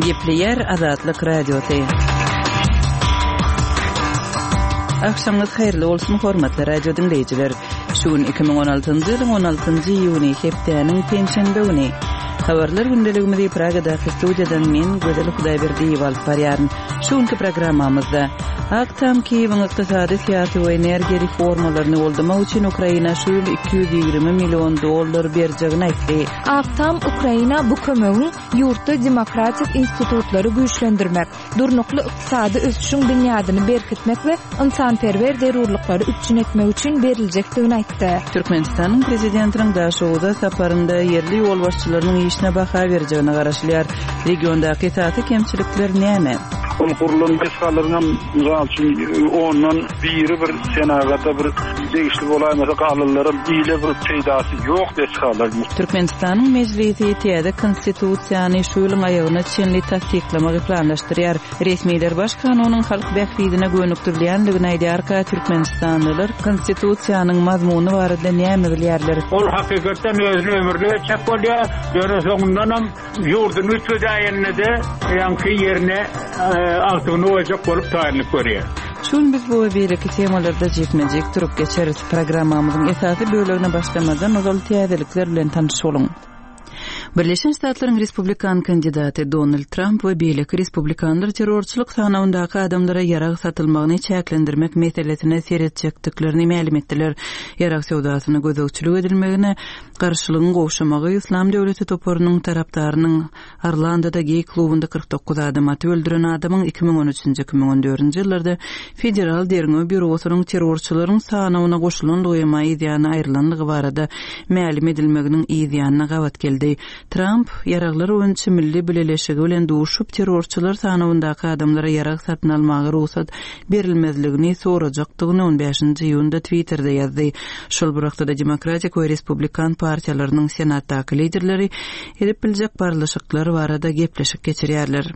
Gepleýär Azatlyk Radiosy. Agşamyňyz haýyrly bolsun, hormatly radio diňleýjiler. Şu gün 2016-njy ýylyň 16-njy iýuny, hepdäniň penşenbe güni. Habarlar gündeligimizi Pragadaky studiýadan men, Gözel Hudaýberdiýewa alyp barýaryn. Şu günki programmamyzda Ak Tam Kiýewiň ykdysady, syýasy we energiýa reformalaryny goldamak üçin Ukraina şu ýyl 220 million dollar berjegini aýtdy. Ak Tam Ukraina bu kömegiň ýurtda demokratik institutlary güýçlendirmek, durnukly ykdysady ösüşiň binýadyny berkitmek we ynsanperwer zerurlyklary üpjün etmek üçin beriljekdigini aýtdy. Türkmenistanyň Prezidentiniň Daşoguza saparynda ýerli ýolbaşçylarynyň işine baha berjegine garaşylýar. Regiondaky esasy kemçilikler näme? Ol gurlan desgalaryňam, mysal üçin, ondan biri bir senagata bir degişli bolaýmasa, galanlaram ile bir peýdasy ýok desgalar. Türkmenistanyň Mejlisi täze Konstitusiýany şu ýylyň aýagyna çenli tassyklamagy planlaşdyrýar. Resmiler Baş kanunyň halk bähbidine gönükdirilýändigini aýdýarka, türkmenistanlylar Konstitusiýanyň mazmuny barada näme bilýärler? Ol hakykatdan özüni ömürlik etjek bolýar, ýöne soňundanam Ýurduny üýtgedäýende-de ýaňky ýerine agtygyny goýjak bolup taýynlyk görýär. Şu gün biz bu we beýleki temalarda jikme-jik durup geçeris. Programmamyzyň esasy bölegine başlamazdan ozal täzelikler bilen tanyş boluň. Birleşen Ştatlaryň respublikan kandidaty Donald Tramp we beýleki respublikanlar terrorçylyk sanawyndaky adamlara ýarag satylmagyny çäklendirmek meselesine seretjekdiklerini mälim etdiler. Ýarag söwdasyna gözegçilik edilmegine Garşylygyň gowşamagy Yslam döwleti toparynyň tarapdarynyň Orlandoda geý klubunda 49 adam atyp öldüren adamyň 2013-nji, 2014-nji ýyllarda Federal derňew býurosynyň terrorçylaryň sanawyna goşulandygy emma yzýany aýrylandygy barada mälim edilmeginiň yzýanyna gabat geldi. Tramp Ýaraglar boýunça milli bileleşigi bilen duşup, terrorçylar sanawyndaky adamlara ýarag satyn almaga rugsat berilmezligini sorajakdygyny on bäşinji iýunda Twitterde ýazdy. Şol bir wagtda-da Demokratik we Respublikan partiýalarynyň Senatdaky liderleri edip biljek barlyşyklary barada gepleşik geçirýärler.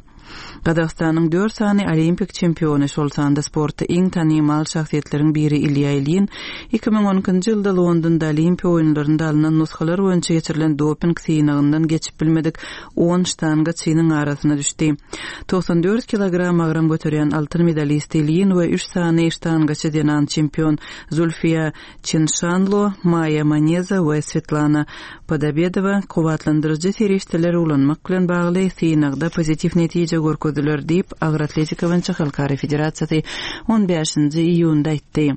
Gazagystanyň dört sany olimpik çempiony, şol sanda sportda iň tanymal şahsyýetleriň biri Ilýa Ilýin 2012-nji ýylda Londonda Olimpiýa oýunlarynda alnan nusgalar boýunça geçirilen doping synagyndan geçip bilmedik on ştangaçynyň arasyna düşdi. 94 kilogram agram göterýän altyn medalist Ilýin we üç sany ştangaçy zenan çempion Zulfiýa Çinşanlo, Maýa Maneza we Swetlana Podobedowa kuwwatlandyryjy serişdeleri ulanmak bilen bagly synagda pozitiw netije görkezdiler, diýip, Agyr atletika boýunça halkara federasiýasy on bäşinji iýunda aýtdy.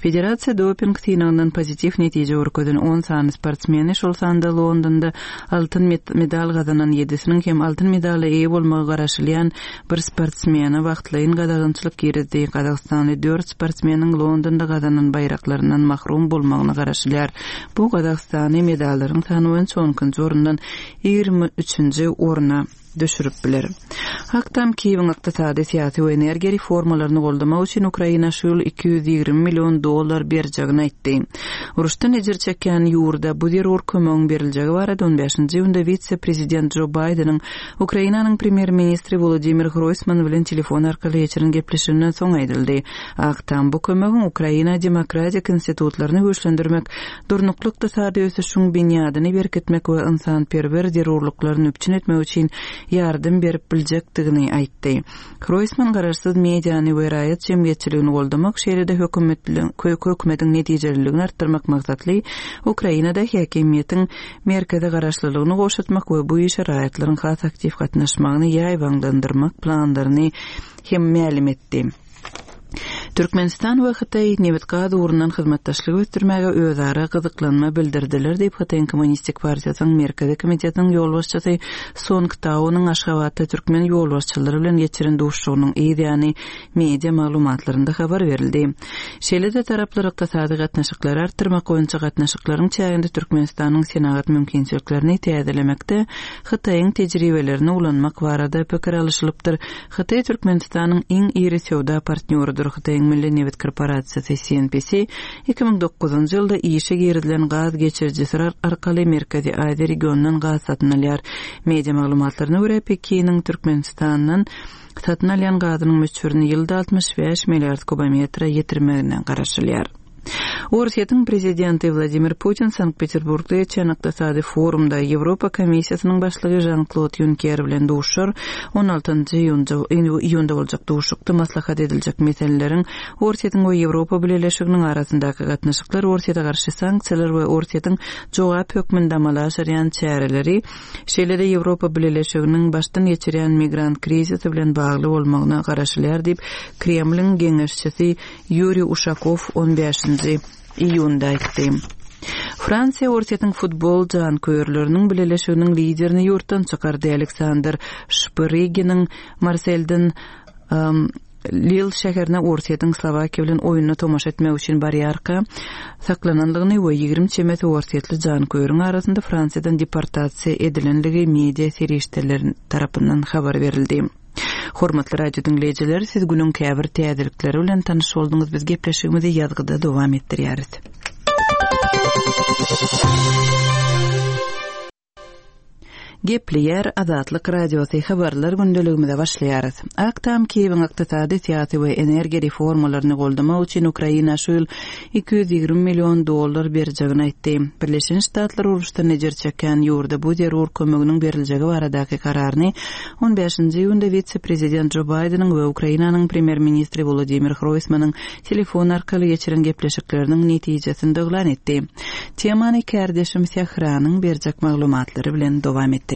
Federasiýa doping synagyndan pozitiw netije görkezen on sany sportsmeni, şol sanda Londonda altyn medal gazanan ýedisiniň hem altyn medala eýe bolmagy garaşylýan bir sportsmene wagtlaýyn gadagançylyk girizdi. Gazagystanly dört sportsmeniň Londonda gazanan baýraklaryndan mahrum bolmagyna garaşylýar. Bu Gazagystany medallaryň sany boýunça on ikinji orundan 23 üçünji orna düşürip biler. Ak Tam Kiýewiň ykdysady, syýasy we energiýa reformalaryny goldamak üçin Ukraina şu ýyl 220 million dollar berjegini aýtdy. Uruşdan ejir çekýän ýurda bu zerur kömegiň beriljegi barada on bäşinji iýunda wise-prezident Jo Baýdeniň Ukrainanyň premýer-ministri Wolodymyr Hroýsman bilen telefon arkaly geçiren gepleşiginden soň aýdyldy. Ak Tam bu kömegiň Ukraina demokratik institutlaryny güýçlendirmek, durnukly ykdysady ösüşiň binýadyny berkitmek we ynsanperwer zerurlyklaryny üpjün etmek üçin ýardam berip biljekdigini aýtdy. Hroýsman garaşsyz mediany we raýat jemgyýetçiligini goldamak, şeýle-de hökümetiň netijeliligini artdyrmak maksatly Ukrainada häkimiýetiň merkezi garaşlylygyny gowşatmak we bu işe raýatlaryň has aktiw gatnaşmagyny ýaýbaňlandyrmak planlaryny hem mälim etdi. Türkmenistan we Hytaý nebit-gaz ugrundan hyzmatdaşlygy ösdürmäge özara gyzyklanma bildirdiler diýip, Hytaýyň Kommunistik partiýasynyň Merkezi komitetiniň ýolbaşçysy Song Taonyň Aşgabatda türkmen ýolbaşçylary bilen geçiren duşuşygynyň yz ýany media maglumatlarynda habar berildi. Şeýle-de taraplar ykdysady gatnaşyklary artdyrmak boýunça gatnaşyklaryň çäginde Türkmenistanyň senagat mümkinçiliklerini täzelemekde Hytaýyň tejribelerini ulanmak barada pikir alyşylypdyr. Hytaý Türkmenistanyň iň iri söwda partnýorydyr. Hytaýyň Milli nebit korporasiýasy, CNPC, 2009-njy ýylda işe girizilen gaz geçirijisi arkaly Merkezi Aziýa regionyndan gaz satyn alýar. Media maglumatlaryna görä, Pekiniň Türkmenistandan satyn alýan gazynyň möçberini ýylda 65 milliard kubometre ýetirmegine garaşylýar. Orsýetiň prezidenti Wladimir Putin Sankt-Peterburgda geçýän ykdysady forumda Ýewropa Komissiýasynyň başlygy Žan-Klod Ýunker bilen duşar. On altynjy iýunda boljak duşuşykda maslahat ediljek meseleleriň Orsýetiň we Ýewropa Bileleşiginiň arasyndaky gatnaşyklar, Orsýete garşy sanksiýalar we Orsýetiň jogap hökmünde amala aşyrýan çäreleri, şeýle-de Ýewropa Bileleşiginiň başdan geçirýän migrant krizisi bilen bagly bolmagyna garaşylýar diýip, Kremliň geňeşçisi Ýuriý Uşakow on bäşinji iýunda aýtdy. Fransiýa Orsýetiň futbol janköýerleriniň bileleşiginiň liderini ýurtdan çykardy. Aleksandr Şpyryginiň Marselden Lil şäherine Orsýetiň Slowakiýa bilen oýnuna tomaşa etmek üçin barýarka saklanandygyny we 20 çemesi orsýetli janköýeriň arasynda Fransiýadan deportasiýa edilenligi media serişdeleri tarapyndan habar berildi. Hormatly radio diňleýjiler, siz günüň käbir täzelikleri bilen tanyş bolduňyz. Biz gepleşigimizi ýazgyda dowam etdirýäris. Gepleýär Azatlyk Radiosy habarlar gündeligimize başlaýarys. Ak Tam Kiýewiň ykdysady, syýasy we energiýa reformalaryny goldamak üçin Ukraina şu ýyl 220 million dollar berjegini aýtdy. Birleşen Ştatlar uruşdan ejir çekýän ýurda bu zerur kömeginiň beriljegi baradaky kararyny On bäşinji iýunda wise-prezident Jo Baýdeniň we Ukrainanyň premýer-ministri Wolodymyr Hroýsmanyň telefon arkaly geçiren gepleşikleriniň netijesinde yglan etdi. Temany kärdeşim Sähranyň berjek maglumatlary bilen dowam etdirýäris.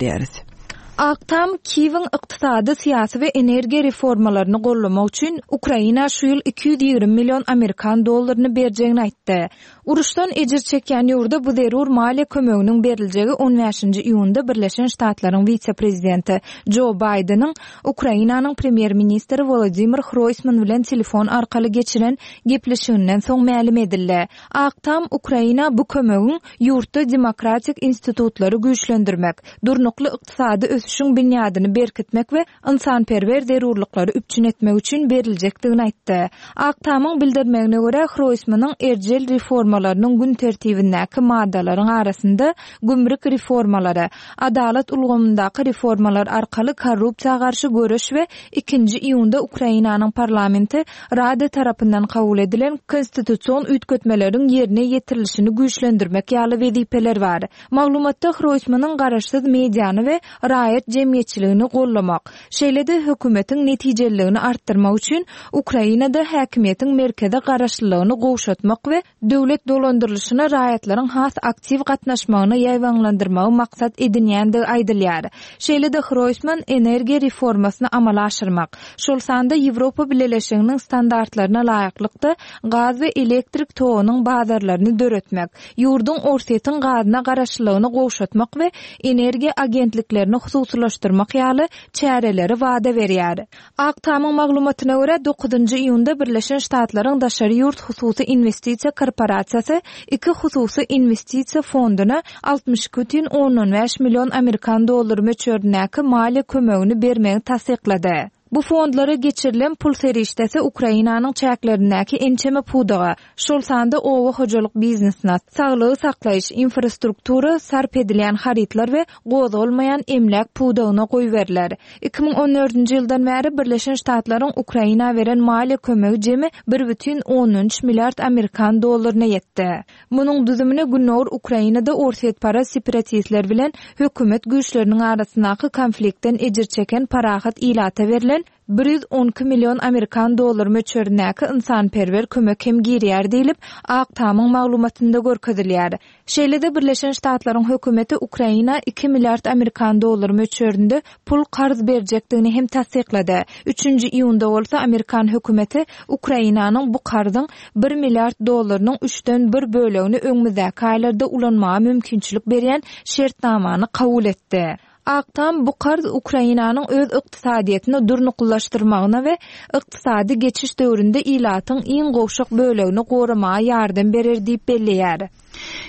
Ak Tam Kiýewiň ykdysady, syýasy we energiýa reformalaryny goldamak üçin Ukraina şu ýyl 220 million amerikan dollaryny berjegini aýtdy. Uruşdan ejir çekýän ýurda bu zerur maliýe kömeginiň beriljegi on bäşinji iýunda Birleşen Ştatlaryň wise-prezidenti Jo Baýdeniň Ukrainanyň premýer-ministri Wolodymyr Hroýsman bilen telefon arkaly geçiren gepleşiginden soň mälim edildi. Ak Tam Ukraina bu kömegiň ýurtda demokratik institutlary güýçlendirmek, durnukly ykdysady ösüşiň binýadyny berkitmek we ynsanperwer zerurlyklary üpjün etmek üçin beriljekdigini aýtdy. Ak Tamyň bildirmegine görä, Hroýsmanyň erjel reformalarynyň gün tertibindäki maddalaryň arasynda gümrük reformalary, adalat ulgamyndaky reformalar arkaly korrupsiýa garşy göreş we ikinji iýunda Ukrainanyň parlamenti Rada tarapyndan kabul edilen konstitusion üýtgetmeleriň ýerine ýetirilişini güýçlendirmek ýaly wezipeler bar. Maglumatda Hroýsmanyň garaşsyz mediany we raýat jemgyýetçiligini goldamak, şeýle-de hökümetiň netijeliligini artdyrmak üçin Ukrainada häkimiýetiň merkeze garaşlylygyny gowşatmak we döwlet dolandyrylyşyna raýatlaryň has aktiw gatnaşmagyny ýaýbaňlandyrmagy maksat edinýändigi aýdylýar. Şeýle-de Hroýsman energiýa reformasyny amala aşyrmak, şol sanda Ýewropa Bileleşiginiň standartlaryna laýyklykda gaz we elektrik togunyň bazarlaryny döretmek, ýurduň Orsýetiň gazyna garaşlylygyny gowşatmak we energiýa agentliklerini hususylaşdyrmak ýaly çäreleri wada berýär. Ak Tamyň maglumatyna görä, dokuzynjy iýunda Birleşen Ştatlaryň daşary ýurt hususy inwestisiýa korporasiýasy iki hususy inwestisiýa fonduna 62 bütin ondan bäş million amerikan dollary möçberindäki maliýe kömegini bermegi tassyklady. Bu fondlara geçirilen pul serişdesi Ukrainanyň çäklerindäki ençeme pudaga, şol sanda oba hojalyk biznesine, saglygy saklaýyş, infrastruktura, sarp edilýän harytlar we gozgalmaýan emläk pudagyna goýberiler. 2014-nji ýyldan bäri Birleşen Ştatlaryň Ukraina beren maliýe kömegi jemi bir bütin ondan üç milliard amerikan dollaryna ýetdi. Munuň düzümine gündogar Ukrainada orsýetparaz separatistler bilen hökümet güýçleriniň arasyndaky konfliktden ejir çeken parahat ilata berlen 112 million amerikan dollary möçberindäki ynsanperwer kömek hem girýär diýlip, Ak Tamyň maglumatynda görkezilýär. Şeýle-de Birleşen Ştatlaryň hökümeti Ukraina iki milliard amerikan dollary möçberinde pul karz berjekdigini hem tassyklady. Üçünji iýunda bolsa amerikan hökümeti Ukrainanyň bu karzyň bir milliard dollarynyň üçden bir bölegini öňümizdäki aýlarda ulanmaga mümkinçilik berýän şertnamany kabul etdi. Ak Tam bu karz Ukrainanyň öz ykdysadyýetini durnuklylaşdyrmagyna we ykdysady geçiş döwründe ilatyň iň gowşak bölegini goramaga ýardam berer diýip belleýär.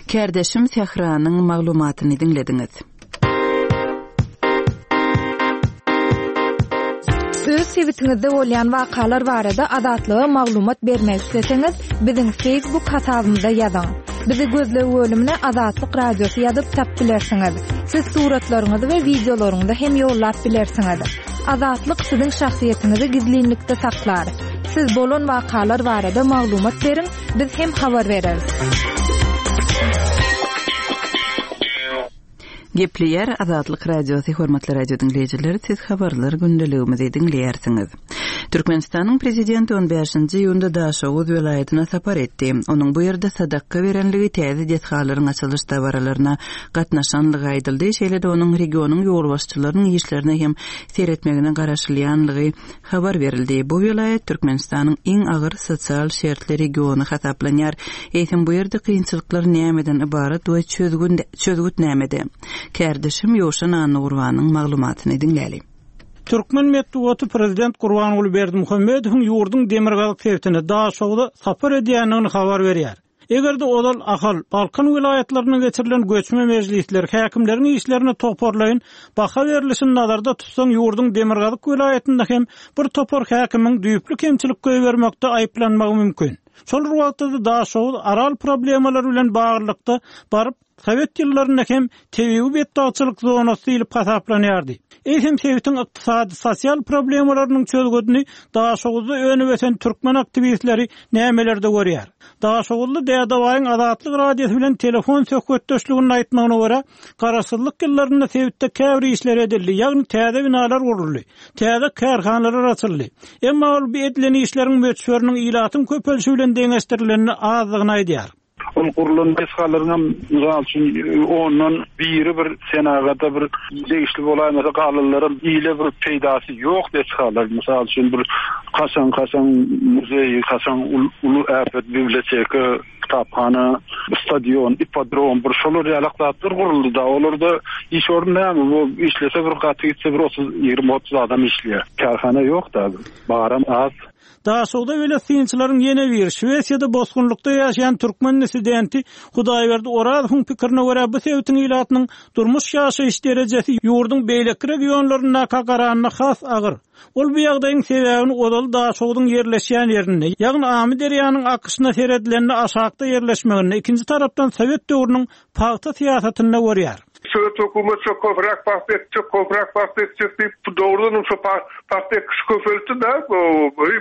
Kärdeşim Sähranyň maglumatyny diňlediňiz. Öz sebitiňizde bolýan wakalar barada Azatlyga maglumat bermek isleseňiz, biziň Facebook hasabymyza ýazyň. Bizi gözleg bölümine Azatlyk Radiosy ýazyp tap bilersiňiz. Siz suratlaryňyzy we wideolaryňyzy hem ýollap bilersiňiz. Azatlyk siziň şahsyýetiňizi gizlinlikde saklar. Siz bolan wakalar barada maglumat beriň, biz hem habar bereris. Gepleýär Azatlyk Radiosy Hormatly radio diňleýjiler, siz habarlar gündeligimizi diňleýärsiňiz. Türkmenistanyň Prezidenti on bäşinji iýunda Daşoguz welaýatyna sapar etdi. Onuň bu ýerde sadakga berenligi, täze desgalaryň açylyş dabaralaryna gatnaşanlygy aýdyldy, şeýle-de onuň regionyň ýolbaşçylarynyň işlerine hem seretmegine garaşylýanlygy habar berildi. Bu welaýat Türkmenistanyň iň agyr sosial şertli regiony hasaplanýar. Eýsem, bu ýerde kynçylyklar nämeden ybarat we çözgüt nämede? Kärdeşim Ýowşan Annagurbanyň maglumatyny diňläli. Türkmen metbugaty prezident Gurbanguly Berdimuhamedowyň ýurduň demirgazyk sebitine, Daşogza sapar edýändigini habar berýär. Eger-de ozal Ahal, Balkan welaýatlarynda geçirilen göçme mejlisler, häkimleriň işlerine toparlaýyn baha berlişini nazarda tutsaň, ýurduň demirgazyk welaýatynda hem bir topar häkimiň düýpli kemçilik goýbermekde aýyplanmagy mümkin. Şol bir wagtda-da Daşoguz, Aral problemalary bilen baglylykda baryp, Sowet ýyllarynda hem tebigy betbagtçylyk zonasy diýlip hasaplanýardy. Eýsem sebitiň ykdysady, sosial problemalarynyň çözgüdini Daşoguzda önüp-ösen türkmen aktiwistleri nämelerde görýär? Daşoguzly Dädebaýyň Azatlyk Radiosy bilen telefon söhbetdeşliginde aýtmagyna görä, garaşsyzlyk ýyllarynda sebitde käbir işler edildi, ýagny täze binalar guruldy, täze kärhanalar açyldy. Emma ol bu edilen işleriň möçberiniň ilatyň köpelişi bilen deňeşdirilende azdygyny aýdýar. Ol gurlan desgalaryňam, mysal üçin, ondan biri bir senagata bir degişli bolaýmasa, galanlaram ile bir peýdasy ýok desgalar. Mysal üçin, bir kaşaň-kaşaň muzeý, kaşaň uly äpet biblioteka, kitaphana, stadion, ippodrom, bir şolar ýalak zatlar guruldy-da. Olarda iş orny näme? Bu işlese bir gaty gitse bir 30, 20-30 adam işleýär. Kärhana ýok-da, baram az. Daşogza belet synçylaryň ýene biri, Şwesiýada bosgunlykda ýaşaýan türkmen dissidenti Hudaýberdi Orazowyň pikirine görä, bu sebitiň ilatynyň durmuş-ýaşaýyş derejesi ýurduň beýleki regionlaryndaka garanda has agyr. Ol bu ýagdaýyň sebäbini ozal Daşogzuň ýerleşýän ýerinde, ýagny Amyderýanyň akyşyna seredilende aşakda ýerleşmeginde, ikinji tarapdan sowet döwrüniň pagta syýasatynda görýär. Sowet hökümet şo köpräk pagta ekjek, köpräk pagta ekjek diýip, dogrudanam şo pagta ekişi köpeltdi-de,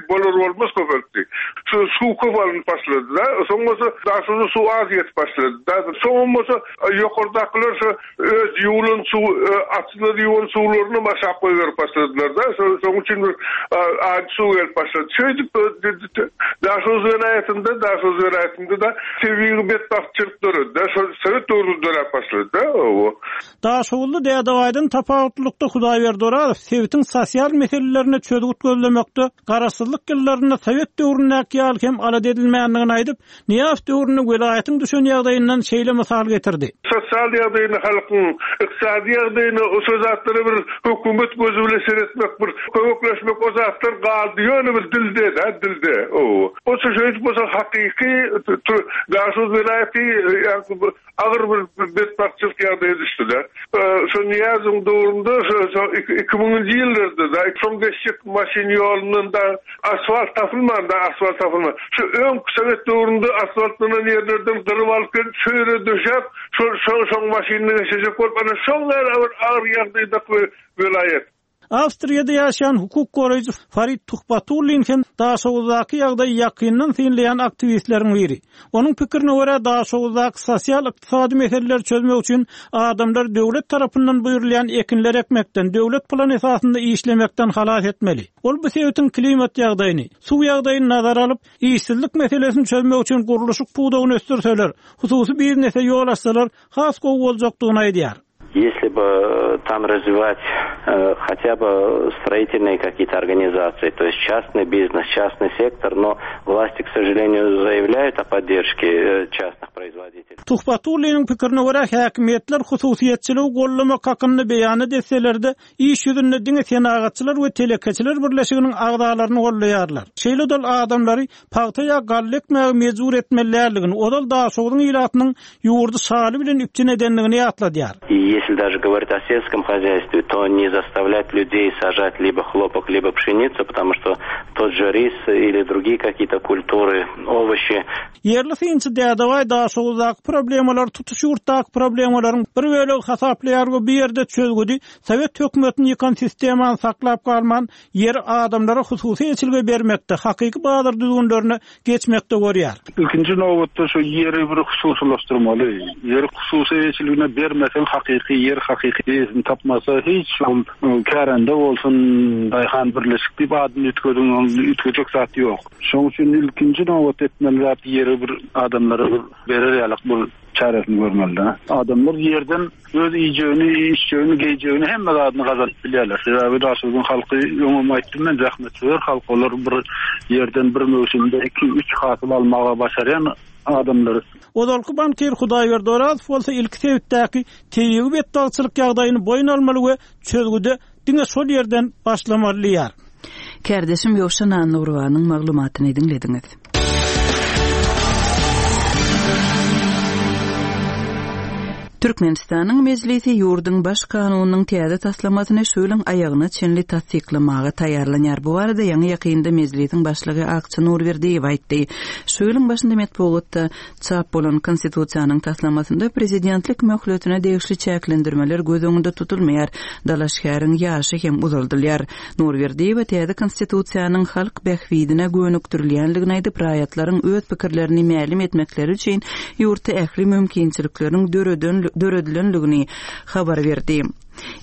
bolar-bolmaz köpeltdi. Şu suw köp alnyp başlady-da, soň bolsa Daşogza suw az ýetip başlady-da. Soňam bolsa ýokardakylar şo öz ýuwlan suw, atsyzlar ýuwan suwlarynam aşak goýberip başladylar-da. Şonuň üçin bir ajy suw gelip başlady. Şeýdip Daşoguz welaýatynda, Daşoguz welaýatynda-da tebigy betbagtçylyk döredi-de, şol sowet döwründe döräp başlady-da, hawa. Daşoguzly Dädebaýdan tapawutlylykda Hudaýberdi Orazow sebitiň sosial meselelerine çözgüt gözlemekde garaşsyzlyk ýyllarynda sowet döwründäki ýaly hem alada edilmändigini aýdyp, Nyýazow döwründe welaýatyň düşen ýagdaýyndan şeýle mysal getirdi. Sosial ýagdaýyny halkyň, ykdysady ýagdaýyny şo zatlara bir hökümet gözi bilen seretmek bir kömekleşmek o zatlar galdy ýöne bir dilde-dä dilde. Bolsa şeýdip bolsa hakyky Daşoguz welaýaty ýaňky agyr bir betbagtçylyk ýagdaýa düşdüler. Şo Nyýazowyň döwründe şo ikimüňünji ýyllarda-da şoň geçjek maşyn ýolundan da asfalt tapylman-da asfalt tapylman. Şu öňki sowet döwründe asfaltlanan ýerlerden gyryp alyp gelip şu ýere döşäp şol şoň maşynyny geçirjek bolup ana şoň ýaly bir agyr ýagdaýdaky welaýat. Awstriýada ýaşaýan hukuk goraýjy Farid Tuhbatullin hem Daşoguzdaky ýagdaýy ýakyndan synlaýan aktiwistleriň biri. Onuň pikirine görä, Daşoguzdaky sosial-ykdysady meseleleri çözmek üçin adamlary döwlet tarapyndan buýrulýan ekinleri ekmekden, döwlet plany esasynda işlemekden halas etmeli. Ol bu sebitiň klimat ýagdaýyny, suw ýagdaýyny nazara alyp, işsizlik meselesini çözmek üçin gurluşyk pudagyny ösdürseler, hususy biznese ýol açsalar has gowy boljakdygyny aýdýar. Если бы там развивать хотя бы строительные какие-то организации, то есть частный бизнес, частный сектор, но власти, к сожалению, заявляют о поддержке частных производителей. Tuhbatulliniň pikirine görä, häkimiýetler hususyýetçiligi goldamak hakynda beýanat etseler-de, iş ýüzünde diňe Senagatçylar we telekeçiler birleşiginiň agzalaryny goldaýarlar. Şeýle-de ol adamlary pagta ýa galla ekmäge mejbur etmeli däldigini, ozal Daşogzuň ilatynyň ýurdy şaly bilen üpjün edendigini ýatladýar. Если даже говорить о сельском хозяйстве, то не заставлять людей сажать либо хлопок, либо пшеницу, потому что тот же рис или другие какие-то культуры, овощи. Ýerli synçy Dädebaý Daşoguzdaky problemalary tutuş ýurtdaky problemalaryň bir bölegi hasaplaýar we bu ýerde çözgüdi sowet hökümetini ýykan sistemany saklap galman, ýeri adamlara hususy eçilge bermekde, hakyky bazar düzgünlerine geçmekde görýär. Ilkinji nobatda şu ýeri bir hususylaşdyrmaly. Ýeri hususy eýeçiligine bermeseň hakyky ýer hakyky eýesini tapmasa hiç ol kärende bolsun daýhan birleşik diýip adyny üýtgediň ol üýtgejek zat ýok. Şoň üçin ilkinji nobatda etmeli zat ýeri bir adamlara bir berer ýalak bir çäresini görmeli-de. Adamlar ýerden Öz iýjegini, içjegini, geýjegini hemme zadyny gazanyp bilýärler. Sebäbi Daşogzuň halky öňem aýtdym men zähmetsöýer halk. Olar bir ýerden bir möwsümde iki, üç hasyl almaga başarýan adamlar. Ozalky bankir Hudaýberdi Orazow bolsa ilki sebitdäki tebigy betbagtçylyk ýagdaýyny boýun almaly we çözgüde diňe şol ýerden başlamaly diýýär. Kärdeşim Ýowşan Annagurbanyň maglumatyny diňlediňiz. Türkmenistanyň Mejlisi ýurduň Baş kanunynyň täze taslamasyny şu ýylyň aýagyna çenli tassyklamaga taýýarlanýar. Bu barada ýaňy-ýakynda Mejlisiň Başlygy Akja Nurberdiýew aýtdy. Şu ýylyň başynda metbugatda çap bolan Konstitusiýanyň taslamasynda prezidentlik möhletine degişli çäklendirmeler göz öňünde tutulmaýar, dalaşgäriň ýaşy hem uzaldylýar. Nurberdiýewa täze Konstitusiýanyň halk bähbidine gönükdirilýändigini aýdyp, raýatlaryň öz pikirlerini mälim etmekleri üçin ýurtda ähli mümkinçilikleriň döredilendigini habar berdi.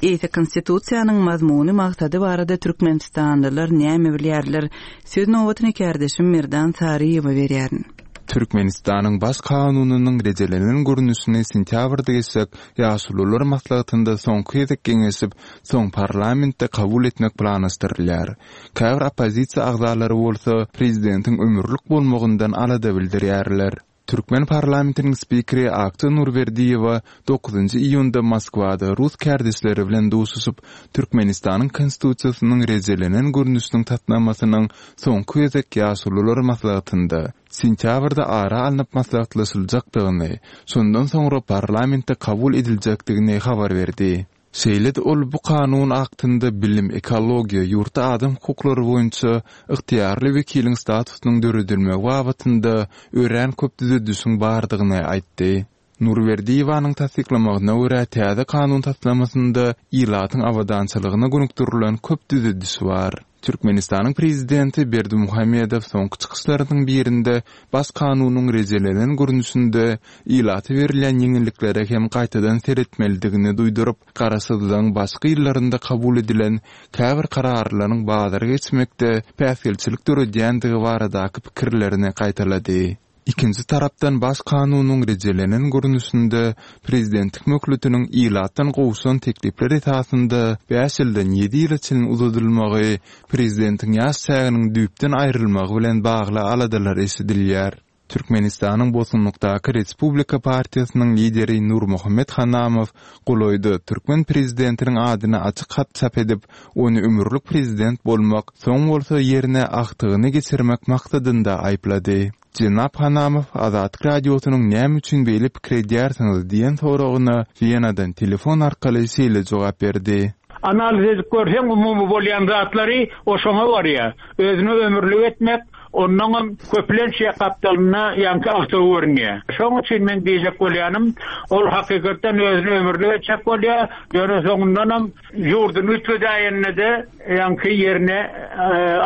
Eýse Konstitusiýanyň mazmuny, maksady barada türkmenistanlylar näme bilýärler? Söz nobatyny kärdeşim Merdan Saryýewe berýärin. Türkmenistanyň Baş Kanunynyň rejelenen görnüşini sentýabrda geçjek Ýaşulular maslahatynda soňky gezek geňeşip, soň parlamentde kabul etmek planlaşdyrylýar. Käbir oppozisiýa agzalary bolsa prezidentiň ömürlik bolmagyndan alada bildirýärler. Türkmen parlamentiniň spikeri Akja Nurberdiýewa dokuzynjy iýunda Moskwada rus kärdeşleri bilen duşuşyp, Türkmenistanyň Konstitusiýasynyň rejelenen görnüşiniň taslamasynyň soňky gezek Ýaşulular maslahatynda, sentýabrda ara alnyp maslahatlaşyljakdygyny, şondan soňra parlamentde kabul ediljekdigini habar berdi. Şeýle-de ol bu kanun aktynda bilim, ekologiýa, ýurtda adam hukuklary boýunça ygtyýarly wekiliň statusynyň döredilmegi babatynda örän köp düzedişiň bardygyny aýtdy. Nurberdiýewanyň tassyklamagyna görä, täze kanun taslamasynda ilatyň abadançylygyna gönükdirilen köp düzediş bar. Türkmenistanyň Prezidenti Berdimuhamedow soňky çykyşlarynyň birinde Baş kanunyň rejelenen görnüşinde ilata berilýän ýeňilliklere hem gaýtadan seretmelidigini duýduryp, garaşsyzlygyň başky ýyllarynda kabul edilen käbir kararlaryň bazara geçmekde päsgelçilik döredýändigi baradaky pikirlerini gaýtalady. Ikinji tarapdan Baş kanunyň rejelenen görnüşinde prezidentlik möhletiniň ilatdan gowşan teklipler esasynda bäş ýyldan ýedi ýyla çenli uzadylmagy prezidentiň ýaş çäginiň düýpden aýrylmagy bilen bagly aladalar eşidilýär. Türkmenistanyň bosgunlykdaky Respublika partiýasynyň lideri Nurmuhammet Hanamow golaýda türkmen prezidentiniň adyna açyk hat çap edip, ony ömürlik prezident bolmak, soň bolsa ýerine agtygyny geçirmek maksadynda aýyplady. Jenap Hanamow Azatlyk Radiosynyň näme üçin beýle pikir edýärsiňiz diýen soragyna Wenadan telefon arkaly şeýle jogap berdi. Analiz edip görseň umumy bolýan zatlary o şoňa barýar. Özüni ömürlik etmek, onnoňam köplenç ýa gapdalynda ýaňky agtygy görünýär. Şoň üçin meň diýjek bolýanym, ol hakykatdan özüni ömürlik etjek bolýar, ýöne soňundanam ýurduny üýtgedäýende-de ýaňky ýerine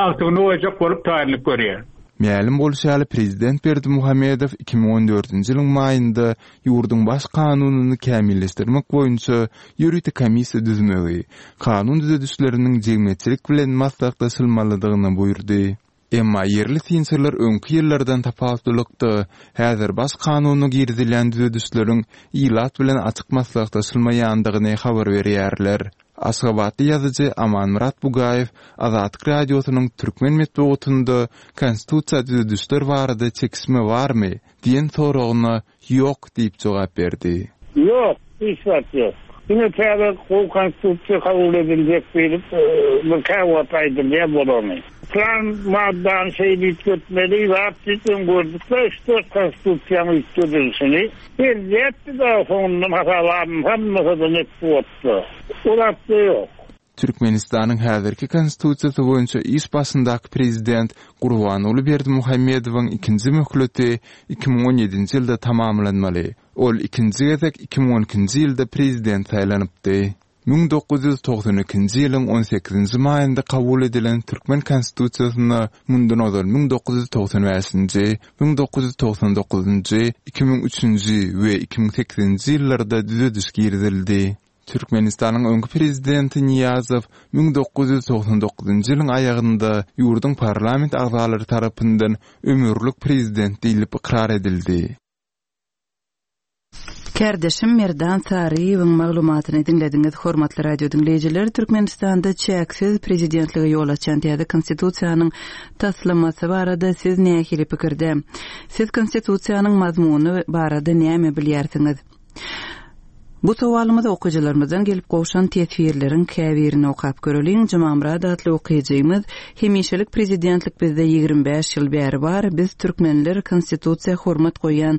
agtygyny goýjak bolup taýynlyk görýär. Mälim bolşy ýaly, prezident Berdimuhamedow 2014-nji ýylyň maýynda ýurduň Baş kanunyny kämilleşdirmek boýunça ýörite komissiýa düzmegi, kanun düzedişleriniň jemgyýetçilik bilen maslahatlaşylmalydygyny buýurdy. Emma ýerli synçylar öňki ýyllardan tapawutlylykda, häzir Baş kanuna girizilýän düzedişleriň ilat bilen açyk maslahatlaşylmaýandygyny habar berýärler. Aşgabatly ýazyjy Amanmyrat Bugaýew Azatlyk Radiosynyň türkmen metbugatynda Konstitusiýa düzedişler barada çekişme barmy? diýen soragyna Ýok diýip jogap berdi. Ýok, hiç zat ýok. Diňe täze gowy Konstitusiýa kabul ediljek diýlip, bir käwagt aýdylýar bolany. Plan maddany şeýle üýtgetmeli, zat diýip öň gördük-de üç-dört konstitusiýaň üýtgedilişini. Belli etdi-de soňundan hasaba alynsa-alynmasa-da metbugatda. O zat-da ýok. Türkmenistanyň häzirki Konstitusiýasy boýunça iş başyndaky prezident Gurbanguly Berdimuhamedowyň ikinji möhleti 2017-nji ýylda tamamlanmaly. Ol ikinji gezek 2012-nji ýylda prezident saýlanypdy. 1992-nji ýylyň on sekizinji maýynda kabul edilen türkmen Konstitusiýasyna mundan ozal 1995-nji, 1999-njy, 2003-nji we 2008-nji ýyllarda düzediş girizildi. Türkmenistanyň öňki prezidenti Nyýazow 1999-njy ýylyň aýagynda ýurduň parlament agzalary tarapyndan ömürlik prezident diýlip ykrar edildi. Kärdeşim Merdan Saryýewiň maglumatyny diňlediňiz. Hormatly radio diňleýjiler, Türkmenistanda çäksiz prezidentlige ýol açýan täze Konstitusiýanyň taslamasy barada siz nähili pikirde? Siz Konstitusiýanyň mazmuny barada näme bilýärsiňiz? Bu sowalymyza okyjylarymyzdan gelip gowşan teswirleriň käbirini okap göreliň. Jumamyrat atly okyjymyz, Hemişelik prezidentlik bizde 25 ýyl bäri bar. Biz türkmenler konstitusiýa hormat goýýan,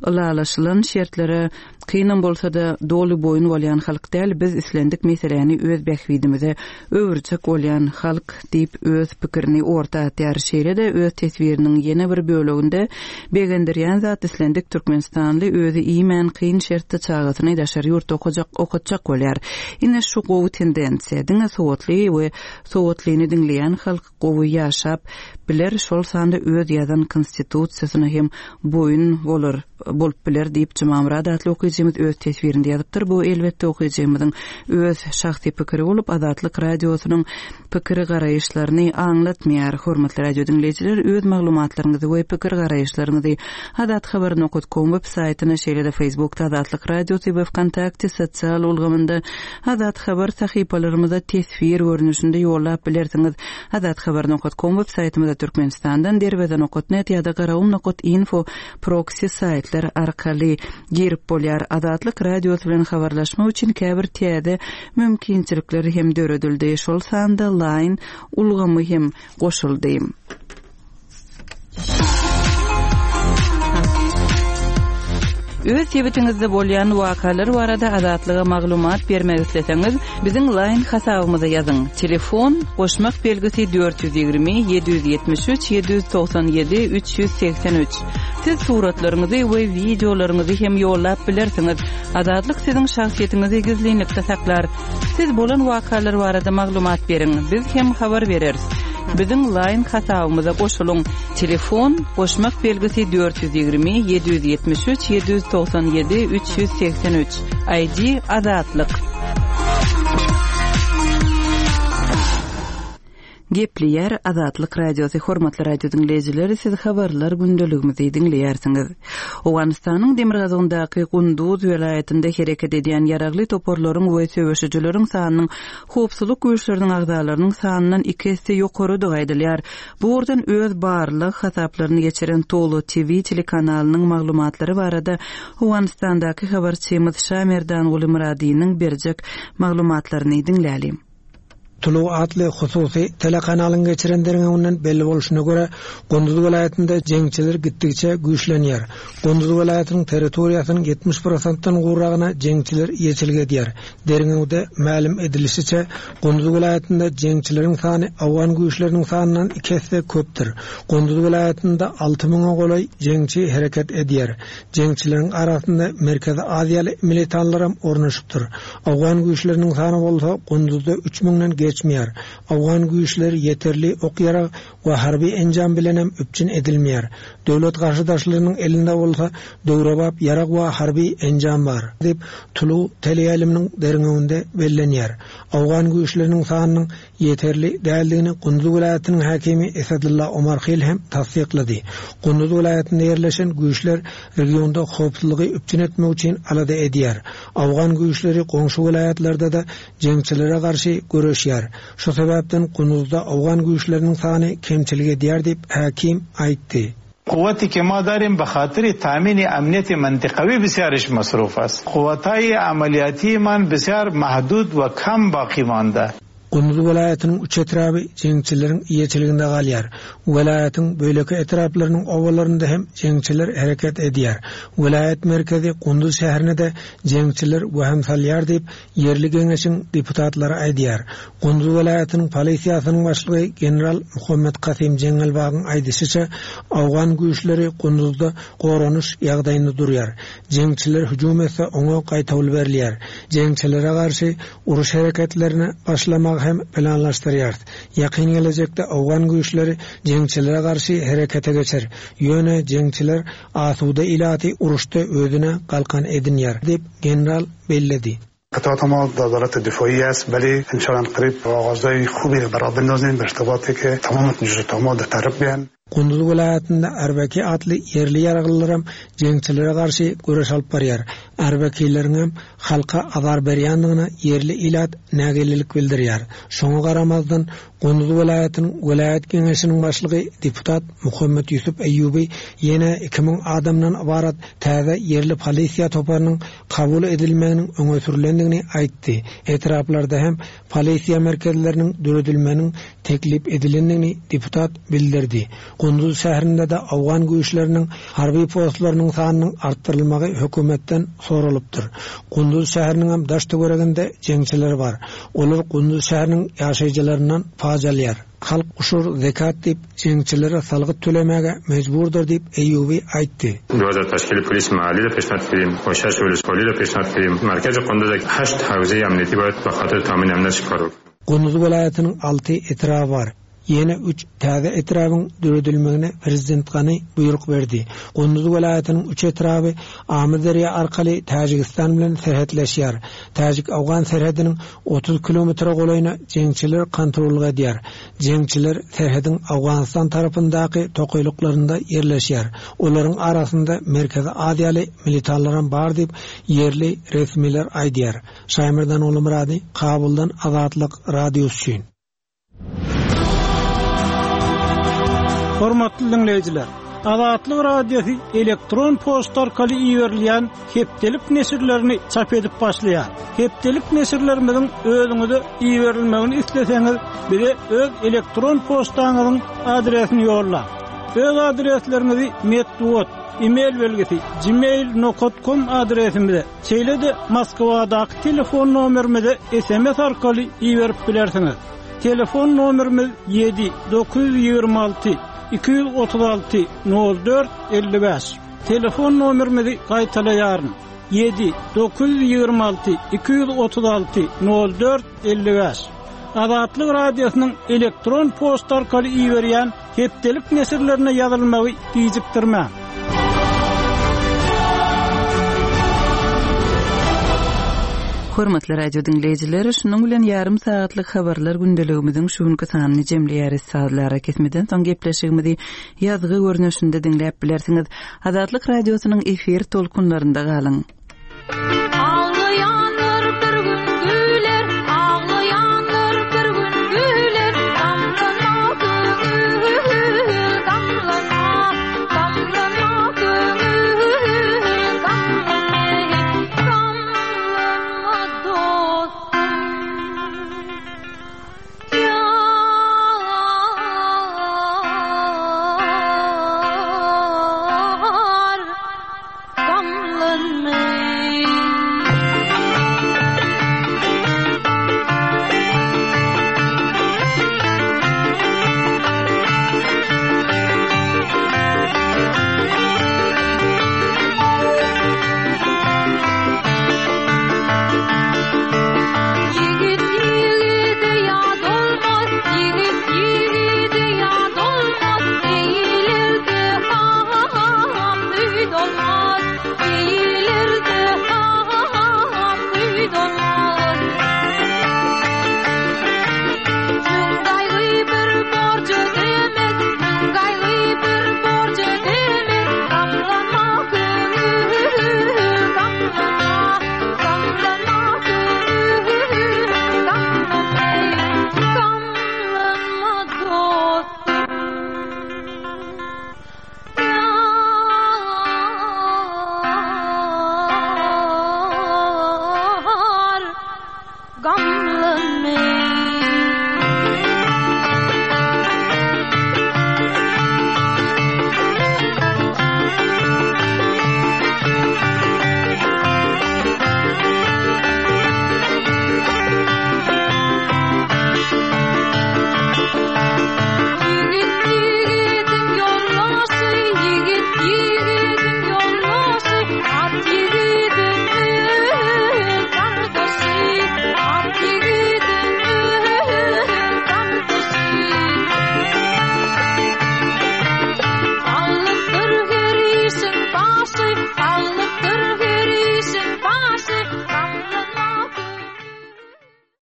ylalaşylan şertlere kynam bolsa-da doly boýun bolýan halk däl. Biz islendik meseläni öz bähbidimize öwürjek bolýan halk diýip öz pikirini orta atýar. Şeýle-de öz teswiriniň ýene bir böleginde begendirýän zat islendik türkmenistanly özi iýmän kyn şertde çagasyny daşary ýurtda okajak okatjak bolýar. Ine şu gowy tendensiýa. Diňe sowatly we sowatlyny diňleýän halk gowy ýaşap biler şol sanda öz ýazan konstitusiýasyna hem boýun bolar. bolup biler diýip, Jumamyrat atly okyjymyz öz teswirinde ýazypdyr. Bu, elbetde, okyjymyzyň öz şahsy pikiri bolup, Azatlyk Radiosynyň pikiri-garaýyşlaryny aňlatmaýar. Hormatly radio diňleýjiler, öz maglumatlaryňyzy we pikir-garaýyşlaryňyzy Azathabar nokat kom web saýtyna, şeýle-de Facebookda Azatlyk Radiosy we Wkontakte sosial ulgamynda Azathabar sahypalarymyza teswir görnüşinde ýollap bilersiňiz. Azathabar nokat kom web saýtymyza Türkmenistandan Derweze nokat net ýa-da Garagum nokat info proksi saýtlar arkaly girip bolýar. Azatlyk Radiosy bilen habarlaşmak üçin käbir täze mümkinçilikler hem döredildi, şol sanda Line ulgamy hem goşuldy. Öz sebitiňizde bolýan wakalar barada Azatlyga maglumat bermek isleseňiz, biziň Line hasabymyza ýazyň, telefon, goşmak belgisi 420 773 797 383. Siz suratlaryňyzy we wideolaryňyzy hem ýollap bilersiňiz. Azatlyk siziň şahsyýetiňizi gizlinlikde saklar. Siz bolan wakalar barada maglumat beriň, biz hem habar bereris. Biziň Line hasabymyza goşulyň. Telefon, goşmak belgisi 420 773 797 383. ID Azatlyk. Gepleýär Azatlyk Radiosy Hormatly radio diňleýjiler siz habarlar gündeligimizi diňleýärsiňiz. Owganystanyň demirgazygyndaky Gunduz welaýatynda hereket edýän ýaragly toparlaryň we söweşijileriň sanynyň howpsuzlyk güýçleriniň agzalarynyň sanyndan iki esse ýokarydygy aýdylýar. Bu ugurdan öz barlag hasaplaryny geçiren Tolo TV telekanalynyň maglumatlary barada Owganystandaky habarçymyz Şamerdanguly Myradynyň berjek maglumatlaryny diňläliň. Tulu atly hususy telekanalyň geçiren derňewinden belli bolşuna görä, Gunduz welaýatynda jeňçiler gitdigiçe güýçlenýär. Gunduz welaýatynyň territoriýasynyň 70 prosentden gowragyna jeňçiler eýeçilik edýär. Derňewde mälim edilişiçe, Gunduz welaýatynda jeňçileriň sany owgan güýçleriniň sanyndan iki esse köpdür. Gunduz welaýatynda alty müňe golaý jeňçi hereket edýär. Jeňçileriň arasynda Merkezi Aziýaly militanlaram ornaşypdyr. Owgan güýçleriniň sany bolsa Gunduzda üç müňden geçmeýär. Owgan güýçleri ýeterli ok-ýarag we harby enjam bilenem üpjün edilmeýär. Döwlet garşydaşlarynyň elinde bolsa döwrebap ýarag we harby enjam bar, diýip, Tulu teleýaýlymynyň derňewinde bellenýär. Owgan güýçleriniň sanynyň ýeterli däldigini Gunduz welaýatynyň häkimi Esadulla Omarhil hem tassyklady. Gunduz welaýatynda ýerleşen güýçler regionda howpsuzlygy üpjün etmek üçin alada edýär. Owgan güýçleri goňşy welaýatlarda-da jeňçilere garşy göreşýär. Şu sebäpden Gunduzda owgan güýçleriniň sany kemçilik edýär diýip, häkim aýtdy. قوتی که ما داریم به خاطر تامین امنیت منطقوی بسیارش مصروف است قوتهای عملیاتی من بسیار محدود و کم باقی مانده. Gunduz welaýatynyň üç etraby jeňçileriň eýeçiliginde galýar. Welaýatyň beýleki etraplarynyň obalarynda hem jeňçiler hereket edýär. Welaýat merkezi Gunduz şäherine-de jeňçiler wehim salýar diýip, ýerli geňeşiň deputatlary aýdýar. Gunduz welaýatynyň polisiýasynyň başlygy general Muhammet Kasym Jeňňelbagyň aýdyşyça, owgan güýçleri Gunduzda goranyş ýagdaýynda durýar. Jeňçiler hüjüm etse, oňa gaýtawul berilýär. Jeňçilere garşy uruş hereketlerine başlamagy hem planlaşdyrýarys. Ýakyn gelejekde owgan güýçleri jeňçilere garşy herekete geçer. Ýöne jeňçiler asuda ilaty uruşda özüne galkan edinýär, diýip, general belledi. قطعات ما در وزارت دفاعی است ولی انشاءالله قریب آغازهای خوبی را برای بندازیم به ارتباطی که تمام ما در طرف بیان Gunduz welaýatynda Arbaki atly ýerli ýaraglylaram jeňçilere garşy göreş alyp barýar. Arbakileriňem halka azar berýändigine ýerli ilat nägilelik bildirýär. Şoňa garamazdan, Gunduz welaýatynyň welaýat geňeşiniň başlygy deputat Muhammet Ýusup Eýýuby ýene 2000 adamdan ybarat täze ýerli polisiýa toparynyň kabul edilmeginiň öňe sürlendigini aýtdy. Etraplarda hem polisiýa merkezleriniň döredilmeginiň teklip edilendigini deputat bildirdi. Gunduz şäherinde-de owgan güýçleriniň harby postlarynyň sanynyň artdyrylmagy hökümetden soralypdyr. Gunduz şäheriniňem daş-töwereginde jeňçiler bar. Olar Gunduz şäheriniň ýaşaýjylaryndan paç alýar. Halk uşur, zekat diýip, jeňçilere salgyt tölemäge mejburdyr diýip, Eýýubi aýtdy. 2000 تشکیل پلیس محلی را پیشنهاد کردیم و شش ولسوالی را پیشنهاد کردیم مرکز قندوز هشت حوزه امنیتی باید به خاطر تامین امنیت کار Gunduz welaýatynyň alty etraby bar. Ýene üç täze etrabyň döredilmegine prezident Gani buýruk berdi. Gunduz welaýatynyň üç etraby Amyderýa arkaly Täjigistan bilen serhetleşýär. Täjik-owgan serhediniň 30 kilometre golaýyna jeňçiler kontrollyk edýär. Jeňçiler serhediň Owganystan tarapyndaky tokaýlyklarynda ýerleşýär. Olaryň arasynda Merkezi Aziýaly militanlaram bar diýip, ýerli resmiler aýdýar. Şaýmerdan Ogulmyrady, Kabuldan Azatlyk Radiosy üçin. Hormatly diňleýjiler! Azatlyk Radiosy elektron poçta arkaly iberilýän hepdelik neşirlerini çap edip başlaýar. Hepdelik neşirlerimiziň özüňize iberilmegini isleseňiz, bize öz elektron poçtaňyzyň adresini ýollaň. Öz adresleriňizi metbugat, e-mail belgisi, gmail nokat kom adresimize, Şeýle-de Moskwadaky telefon nomerimize sms arkaly iberip bilersiňiz. Telefon nomerimiz 7 926 236 04 55. Telefon nomerimizi gaýtalaýaryn. 7 926 236 04 55. Azatlyk Radiosynyň elektron poçta arkaly iberýän Hepdelik neşirlerine ýazylmagy gijikdirmäň. Hormatly radio diňleýjiler, şunuň bilen ýarym sagatlyk habarlar gündeligimiziň şu günki sanyny jemleýäris. Sazly arakesmeden soň gepleşigimizi ýazgy görnüşinde diňläp bilersiňiz. Azatlyk Radiosynyň efir tolkunlarynda galyň. Aglaýanlar bir gün güler, aglaýanlar bir gün güler, Gamlanma köňül, gamlanma, gamlanma köňül, gamlanma, gamlanma dostum. Ýar. Ýigit ýigide ýat olmaz, ýigit ýigide ýat olmaz, Eýlerde ham süýt olmaz, eýlerde ham süýt olmaz. Müň gaýgy bir borç ödemez, müň gaýgy bir borç ödemez, Gamlanma köňül, gamlanma, gamlanma köňül, gamlanma, gamlanma dostum. Ýar, gamlanma.